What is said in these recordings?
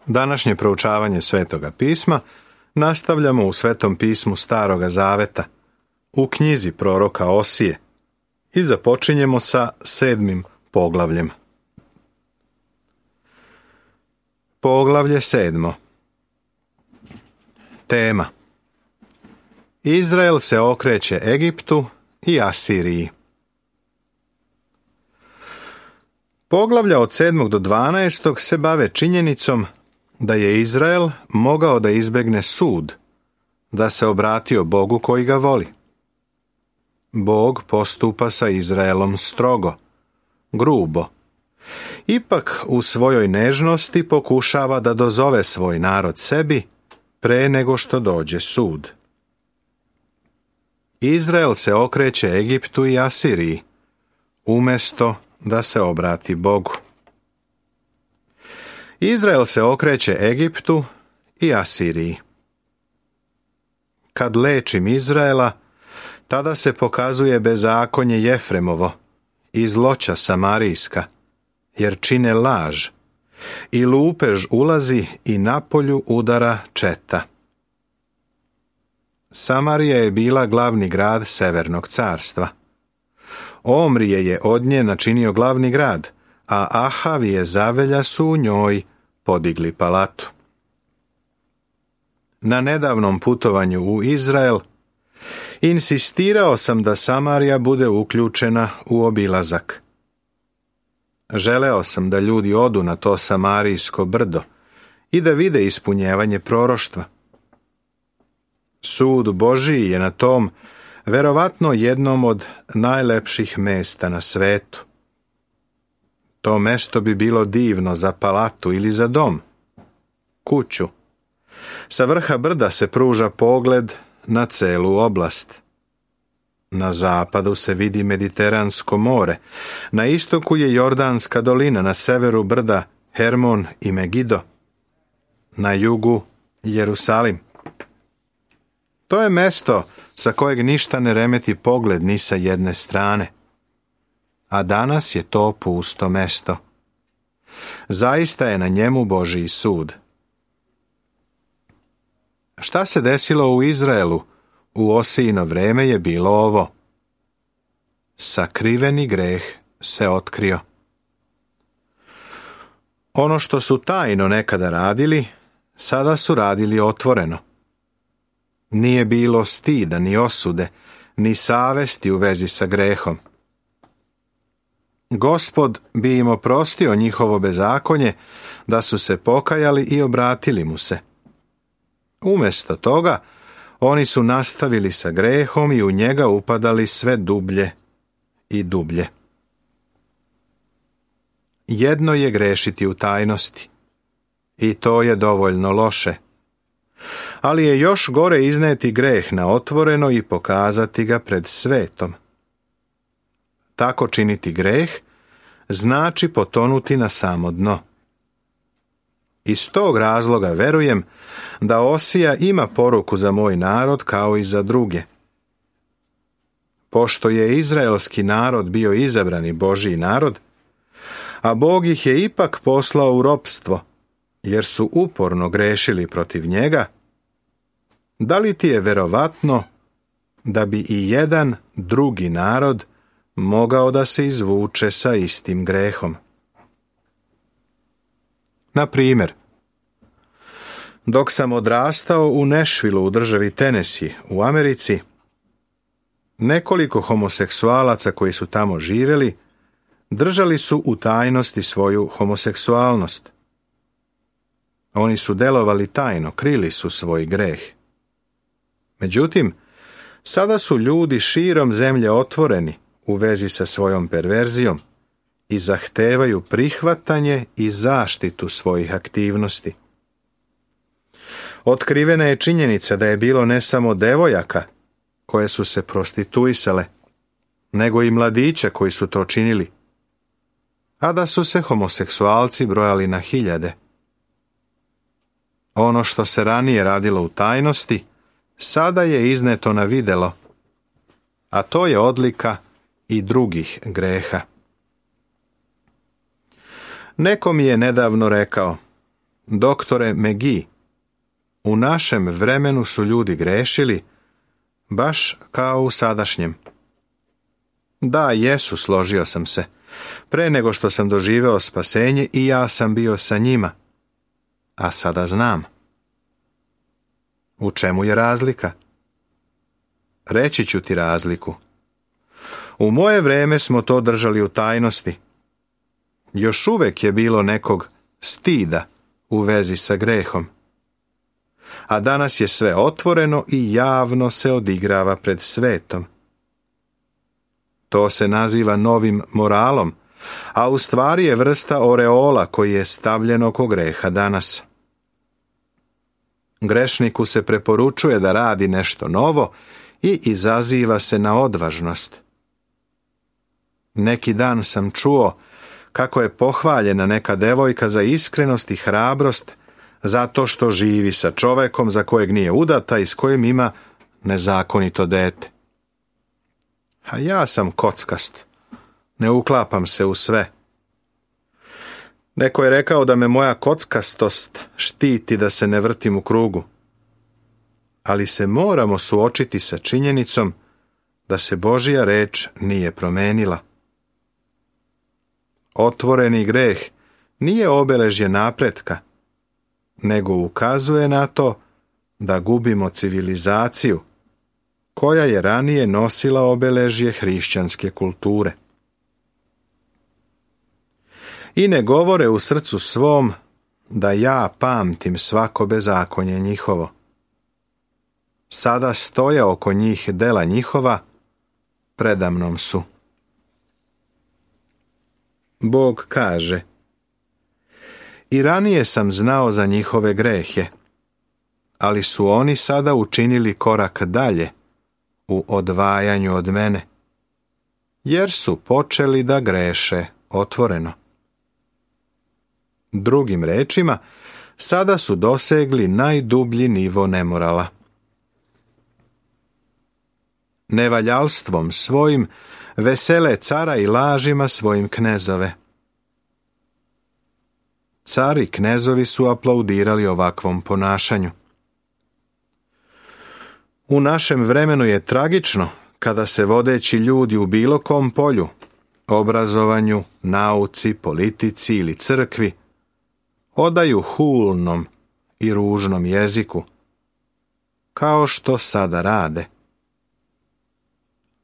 Današnje proučavanje Svetoga pisma nastavljamo u Svetom pismu Staroga Zaveta, u knjizi proroka Osije, i započinjemo sa 7. poglavljem. Poglavlje 7. Tema: Izrael se okreće Egiptu i Asiriji. Poglavlja od 7. do 12. se bave činjenicom da je Izrael mogao da izbegne sud, da se obratio Bogu koji ga voli. Bog postupa sa Izraelom strogo, grubo. Ipak u svojoj nežnosti pokušava da dozove svoj narod sebi pre nego što dođe sud. Izrael se okreće Egiptu i Asiriji, umjesto da se obrati Bogu. Izrael se okreće Egiptu i Asiriji. Kad lečim Izraela, tada se pokazuje bezakonje Jefremovo i zloća Samarijska, jer čine laž, i lupež ulazi i napolju udara četa. Samarija je bila glavni grad Severnog carstva. Omrije je od nje načinio glavni grad, a Ahavije zavelja su u njoj podigli palatu. Na nedavnom putovanju u Izrael insistirao sam da Samarija bude uključena u obilazak. Želeo sam da ljudi odu na to Samarijsko brdo i da vide ispunjevanje proroštva. Sud Božiji je na tom verovatno jednom od najlepših mesta na svetu. To mesto bi bilo divno za palatu ili za dom, kuću. Sa vrha brda se pruža pogled na celu oblast. Na zapadu se vidi Mediteransko more, na istoku je Jordanska dolina, na severu brda Hermon i Megido, na jugu Jerusalim. To je mesto sa kojeg ništa ne remeti pogled ni sa jedne strane. A danas je to pusto mesto. Zaista je na njemu Božji sud. Šta se desilo u Izraelu u Osijino vreme je bilo ovo: sakriveni greh se otkrio. Ono što su tajno nekada radili, sada su radili otvoreno. Nije bilo stida, ni osude, ni savesti u vezi sa grehom. Gospod bi im oprostio njihovo bezakonje da su se pokajali i obratili mu se. Umjesto toga, oni su nastavili sa grehom i u njega upadali sve dublje i dublje. Jedno je grešiti u tajnosti, i to je dovoljno loše. Ali je još gore izneti greh na otvoreno i pokazati ga pred svetom. Tako činiti greh znači potonuti na samo dno. Iz tog razloga verujem da Osija ima poruku za moj narod kao i za druge. Pošto je izraelski narod bio izabrani Božji narod, a Bog ih je ipak poslao u ropstvo, jer su uporno grešili protiv njega, da li ti je verovatno da bi i jedan drugi narod mogao da se izvuče sa istim grehom? Na primjer, dok sam odrastao u Nashvillu u državi Tennessee u Americi, nekoliko homoseksualaca koji su tamo živjeli držali su u tajnosti svoju homoseksualnost. Oni su delovali tajno, krili su svoj greh. Međutim, sada su ljudi širom zemlje otvoreni u vezi sa svojom perverzijom i zahtevaju prihvatanje i zaštitu svojih aktivnosti. Otkrivena je činjenica da je bilo ne samo devojaka koje su se prostituisale, nego i mladića koji su to činili, a da su se homoseksualci brojali na hiljade. Ono što se ranije radilo u tajnosti, sada je izneto na videlo, a to je odlika i drugih greha. Neko mi je nedavno rekao: Doktore McGee, u našem vremenu su ljudi grešili, baš kao u sadašnjem. Da, jesu, složio sam se. Pre nego što sam doživeo spasenje i ja sam bio sa njima. A sada znam. U čemu je razlika? Reći ću ti razliku. U moje vreme smo to držali u tajnosti. Još uvek je bilo nekog stida u vezi sa grehom. A danas je sve otvoreno i javno se odigrava pred svetom. To se naziva novim moralom, a u stvari je vrsta oreola koji je stavljen oko greha danas. Grešniku se preporučuje da radi nešto novo i izaziva se na odvažnost. Neki dan sam čuo kako je pohvaljena neka devojka za iskrenost i hrabrost zato što živi sa čovekom za kojeg nije udata i s kojim ima nezakonito dete. A ja sam kockast. Ne uklapam se u sve. Neko je rekao da me moja kockastost štiti da se ne vrtim u krugu. Ali se moramo suočiti sa činjenicom da se Božja reč nije promenila. Otvoreni greh nije obeležje napretka, nego ukazuje na to da gubimo civilizaciju, koja je ranije nosila obeležje hrišćanske kulture. I ne govore u srcu svom da ja pamtim svako bezakonje njihovo. Sada stoje oko njih dela njihova, predamnom su. Bog kaže: I ranije sam znao za njihove grehe, ali su oni sada učinili korak dalje u odvajanju od mene, jer su počeli da greše otvoreno. Drugim rečima, sada su dosegli najdublji nivo nemorala. Nevaljalstvom svojim vesele cara i lažima svojim knezove. Cari i knezovi su aplaudirali ovakvom ponašanju. U našem vremenu je tragično kada se vodeći ljudi u bilo kom polju, obrazovanju, nauci, politici ili crkvi, odaju hulnom i ružnom jeziku, kao što sada rade.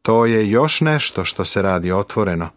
To je još nešto što se radi otvoreno.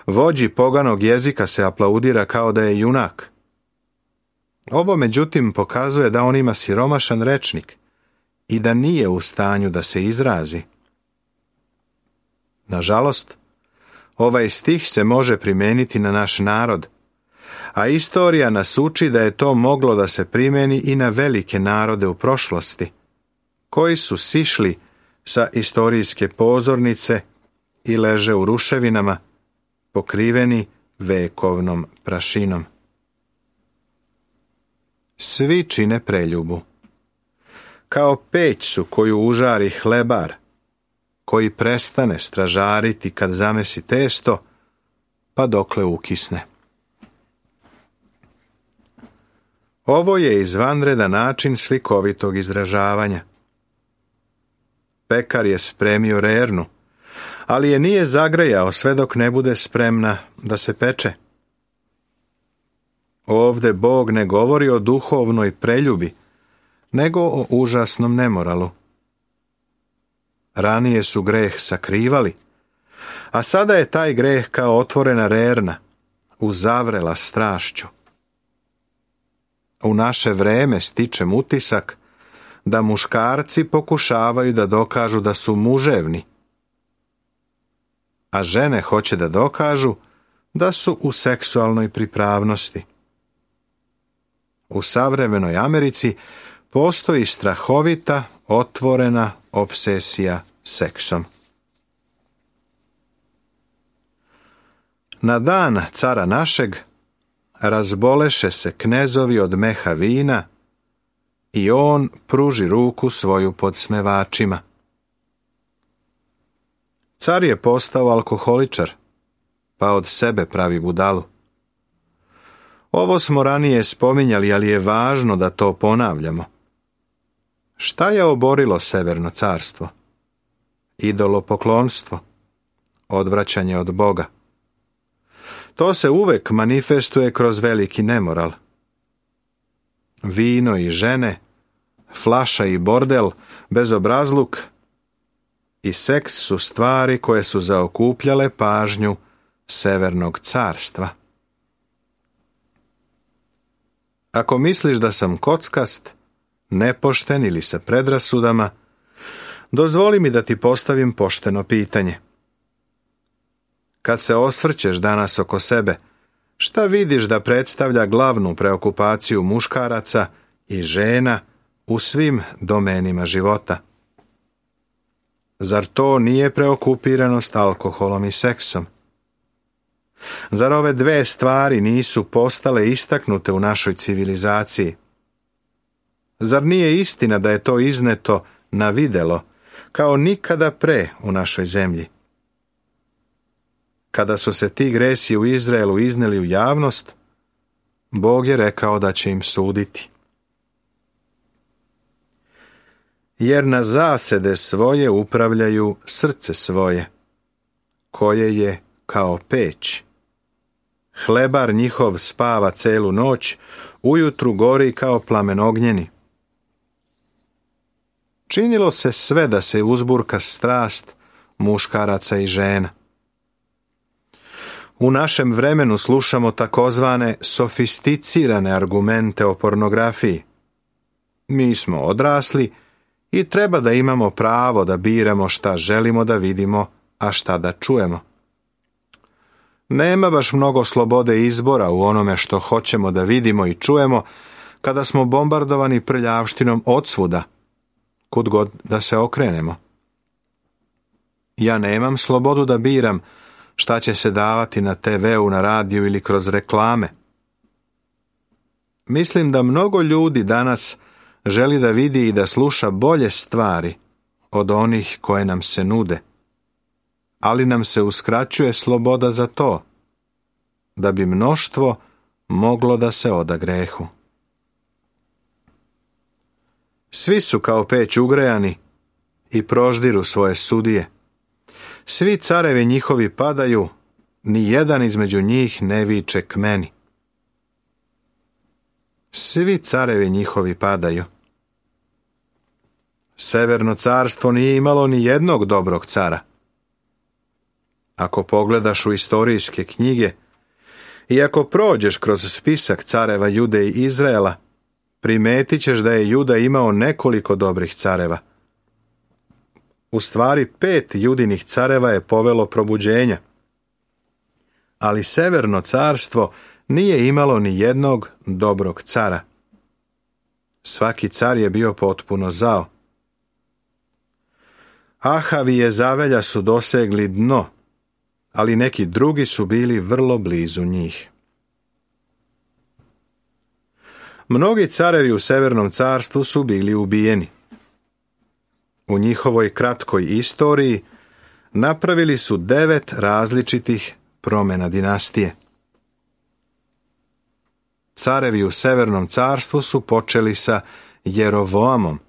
Vođi poganog jezika se aplaudira kao da je junak. Ovo međutim pokazuje da on ima siromašan rečnik i da nije u stanju da se izrazi. Nažalost, ovaj stih se može primijeniti na naš narod, a istorija nas uči da je to moglo da se primjeni i na velike narode u prošlosti, koji su sišli sa istorijske pozornice i leže u ruševinama, pokriveni vekovnom prašinom. Svi čine preljubu. Kao peć su koju užari hlebar, koji prestane stražariti kad zamesi testo, pa dokle ukisne. Ovo je izvanredan način slikovitog izražavanja. Pekar je spremio rernu, ali je nije zagrejao sve dok ne bude spremna da se peče. Ovde Bog ne govori o duhovnoj preljubi, nego o užasnom nemoralu. Ranije su greh sakrivali, a sada je taj greh kao otvorena rerna, uzavrela strašću. U naše vreme stičem utisak da muškarci pokušavaju da dokažu da su muževni, a žene hoće da dokažu da su u seksualnoj pripravnosti. U savremenoj Americi postoji strahovita, otvorena obsesija seksom. Na dan cara našeg razboleše se knezovi od meha vina i on pruži ruku svoju podsmevačima. Car je postao alkoholičar, pa od sebe pravi budalu. Ovo smo ranije spominjali, ali je važno da to ponavljamo. Šta je oborilo Severno carstvo? Idolopoklonstvo, odvraćanje od Boga. To se uvek manifestuje kroz veliki nemoral. Vino i žene, flaša i bordel, bezobrazluk i seks su stvari koje su zaokupljale pažnju Severnog carstva. Ako misliš da sam kockast, nepošten ili sa predrasudama, dozvoli mi da ti postavim pošteno pitanje. Kad se osvrćeš danas oko sebe, šta vidiš da predstavlja glavnu preokupaciju muškaraca i žena u svim domenima života? Zar to nije preokupiranost alkoholom i seksom? Zar ove dve stvari nisu postale istaknute u našoj civilizaciji? Zar nije istina da je to izneto na videlo kao nikada pre u našoj zemlji? Kada su se ti gresi u Izraelu izneli u javnost, Bog je rekao da će im suditi. Jer na zasede svoje upravljaju srce svoje, koje je kao peć. Hlebar njihov spava celu noć, ujutru gori kao plamen ognjeni. Činilo se sve da se uzburka strast muškaraca i žena. U našem vremenu slušamo takozvane sofisticirane argumente o pornografiji. Mi smo odrasli i treba da imamo pravo da biramo šta želimo da vidimo, a šta da čujemo. Nema baš mnogo slobode izbora u onome što hoćemo da vidimo i čujemo kada smo bombardovani prljavštinom odsvuda, kud god da se okrenemo. Ja nemam slobodu da biram šta će se davati na TV-u, na radiju ili kroz reklame. Mislim da mnogo ljudi danas želi da vidi i da sluša bolje stvari od onih koje nam se nude, ali nam se uskraćuje sloboda za to, da bi mnoštvo moglo da se oda grehu. Svi su kao peć ugrejani i proždiru svoje sudije. Svi carevi njihovi padaju, ni jedan između njih ne viče k meni. Svi carevi njihovi padaju. Severno carstvo nije imalo ni jednog dobrog cara. Ako pogledaš u istorijske knjige i ako prođeš kroz spisak careva Jude i Izraela, primetit ćeš da je Juda imao nekoliko dobrih careva. U stvari 5 judinih careva je povelo probuđenja. Ali Severno carstvo nije imalo ni jednog dobrog cara. Svaki car je bio potpuno zao. Ahavi Jezavelja su dosegli dno, ali neki drugi su bili vrlo blizu njih. Mnogi carevi u Severnom carstvu su bili ubijeni. U njihovoj kratkoj istoriji napravili su 9 različitih promjena dinastije. Carevi u Severnom carstvu su počeli sa Jerovoamom.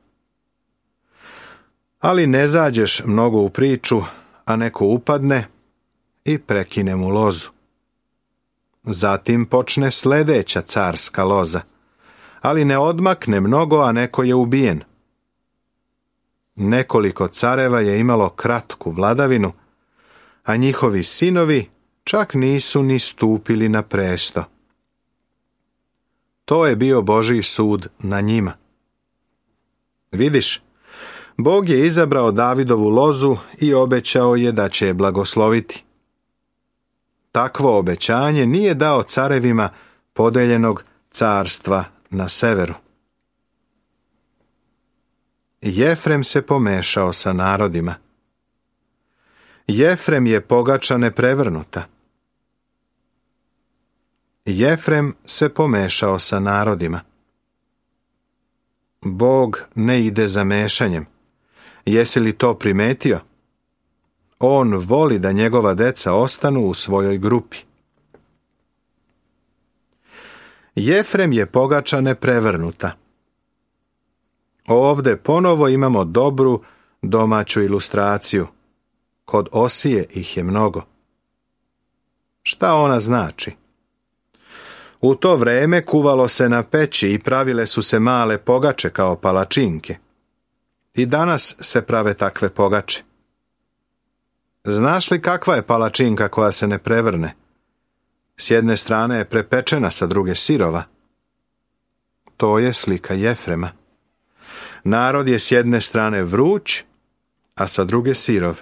Ali ne zađeš mnogo u priču, a neko upadne i prekine mu lozu. Zatim počne sljedeća carska loza, ali ne odmakne mnogo, a neko je ubijen. Nekoliko careva je imalo kratku vladavinu, a njihovi sinovi čak nisu ni stupili na presto. To je bio Božji sud na njima. Vidiš, Bog je izabrao Davidovu lozu i obećao je da će je blagosloviti. Takvo obećanje nije dao carevima podeljenog carstva na severu. Jefrem se pomešao sa narodima. Jefrem je pogača neprevrnuta. Jefrem se pomešao sa narodima. Bog ne ide za mešanjem. Jesi li to primetio? On voli da njegova deca ostanu u svojoj grupi. Jefrem je pogača neprevrnuta. Ovde ponovo imamo dobru domaću ilustraciju. Kod Osije ih je mnogo. Šta ona znači? U to vreme kuvalo se na peći i pravile su se male pogače kao palačinke. I danas se prave takve pogače. Znaš li kakva je palačinka koja se ne prevrne? S jedne strane je prepečena, sa druge sirova. To je slika Jefrema. Narod je s jedne strane vruć, a sa druge sirov.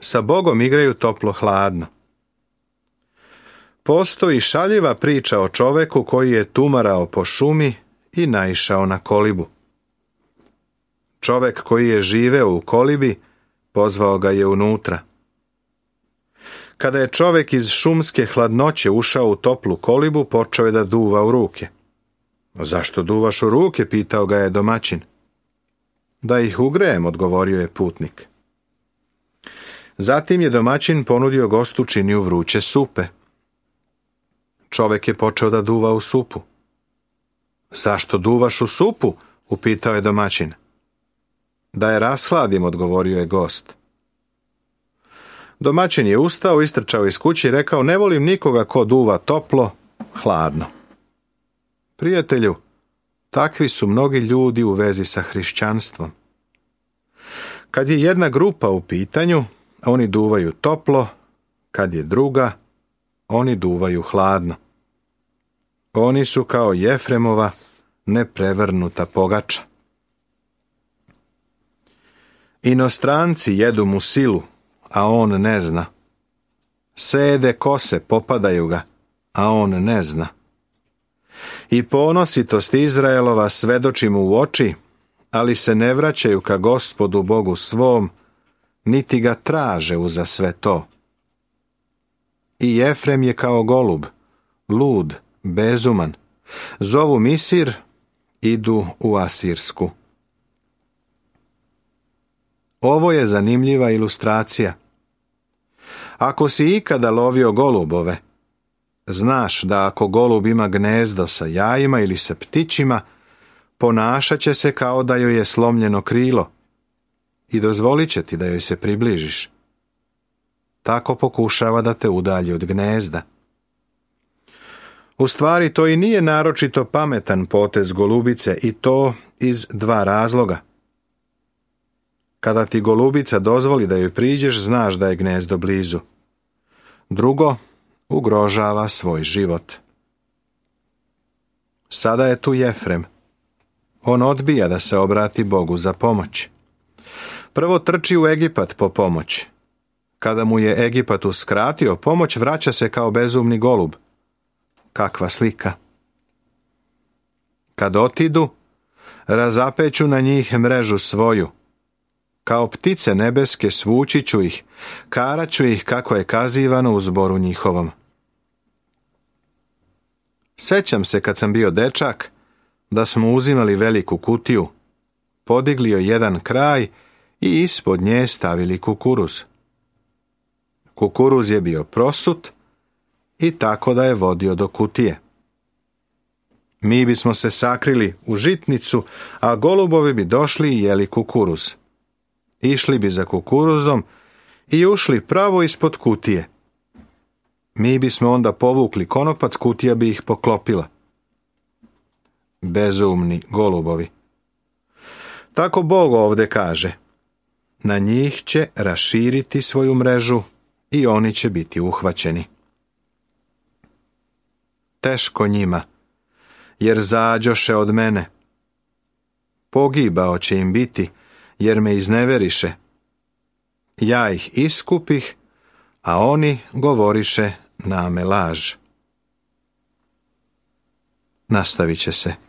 Sa Bogom igraju toplo-hladno. Postoji šaljiva priča o čoveku koji je tumarao po šumi i naišao na kolibu. Čovek koji je živeo u kolibi pozvao ga je unutra. Kada je čovek iz šumske hladnoće ušao u toplu kolibu, počeo je da duva u ruke. Zašto duvaš u ruke? Pitao ga je domaćin. Da ih ugrejem, odgovorio je putnik. Zatim je domaćin ponudio gostu činiju vruće supe. Čovek je počeo da duva u supu. Zašto duvaš u supu? Upitao je domaćin. Da je rashladim, odgovorio je gost. Domaćin je ustao, istrčao iz kuće i rekao, ne volim nikoga ko duva toplo, hladno. Prijatelju, takvi su mnogi ljudi u vezi sa hrišćanstvom. Kad je jedna grupa u pitanju, oni duvaju toplo, kad je druga, oni duvaju hladno. Oni su kao Jefremova neprevrnuta pogača. Inostranci jedu mu silu, a on ne zna. Sede kose, popadaju ga, a on ne zna. I ponositost Izraelova svedoči mu u oči, ali se ne vraćaju ka Gospodu Bogu svom, niti ga traže uza sve to. I Jefrem je kao golub, lud, bezuman. Zovu Misir, idu u Asirsku. Ovo je zanimljiva ilustracija. Ako si ikada lovio golubove, znaš da ako golub ima gnezdo sa jajima ili sa ptićima, ponašat će se kao da joj je slomljeno krilo i dozvolit će ti da joj se približiš. Tako pokušava da te udalji od gnezda. U stvari, to i nije naročito pametan potez golubice, i to iz dva razloga. Kada ti golubica dozvoli da joj priđeš, znaš da je gnezdo blizu. Drugo, ugrožava svoj život. Sada je tu Jefrem. On odbija da se obrati Bogu za pomoć. Prvo trči u Egipat po pomoć. Kada mu je Egipat uskratio pomoć, vraća se kao bezumni golub. Kakva slika! Kad otidu, razapeću na njih mrežu svoju. Kao ptice nebeske svući ću ih, karaću ih kako je kazivano u zboru njihovom. Sećam se kad sam bio dečak, da smo uzimali veliku kutiju, podigli joj jedan kraj i ispod nje stavili kukuruz. Kukuruz je bio prosut i tako da je vodio do kutije. Mi bismo se sakrili u žitnicu, a golubovi bi došli i jeli kukuruz. Išli bi za kukuruzom i ušli pravo ispod kutije. Mi bismo onda povukli konopac, kutija bi ih poklopila. Bezumni golubovi. Tako Bog ovde kaže, na njih će raširiti svoju mrežu i oni će biti uhvaćeni. Teško njima, jer zađoše od mene. Pogibao će im biti, jer me izneveriše. Ja ih iskupih, a oni govoriše name laž. Nastavit će se.